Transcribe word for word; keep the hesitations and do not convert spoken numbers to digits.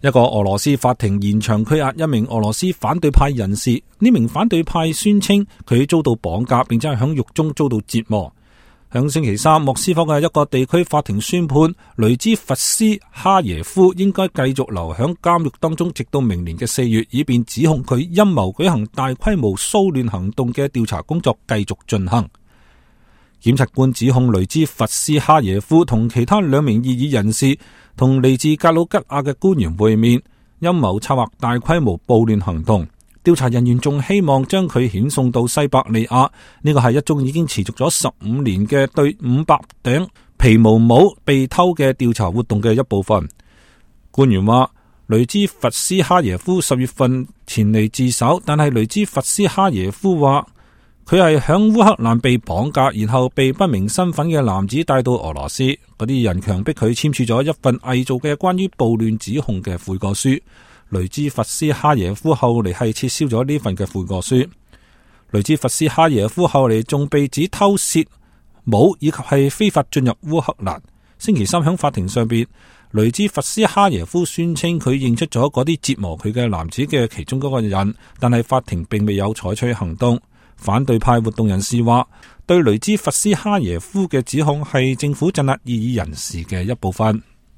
一個俄羅斯法庭延長拘押一名俄羅斯反對派人士，呢名反對派宣稱佢遭到綁架，並且係響獄中遭到折磨。響星期三，莫斯科嘅一個地區法庭宣判，雷茲弗斯哈耶夫應該繼續留響監獄當中，直到明年嘅四月，以便指控佢陰謀舉行大規模騷亂行動嘅調查工作繼續進行。檢察官指控雷茲弗斯哈耶夫同其他兩名異議人士同嚟自格魯吉亞嘅官員會面，陰謀策劃大規模暴亂行動。調查人員仲希望將佢遣送到西伯利亞，呢個係一宗已經持續咗十五年嘅對五百頂皮毛帽被偷嘅調查活動嘅一部分。官員話，雷茲弗斯哈耶夫十月份前嚟自首，但係雷茲弗斯哈耶夫話，佢係響烏克蘭被綁架，然後被不明身份嘅男子帶到俄羅斯。嗰啲人強迫佢簽署咗一份偽造嘅關於暴亂指控嘅悔過書。雷茲弗斯哈耶夫後嚟係撤銷咗呢份嘅悔過書。雷茲弗斯哈耶夫後嚟仲被指偷竊帽以及係非法進入烏克蘭。星期三響法庭上邊，雷茲弗斯哈耶夫宣稱佢認出咗嗰啲折磨佢嘅男子嘅其中嗰個人，但係法庭並未有採取行動。反對派活動人士話，對雷茲弗斯哈耶夫嘅指控係政府鎮壓異議人士嘅一部分。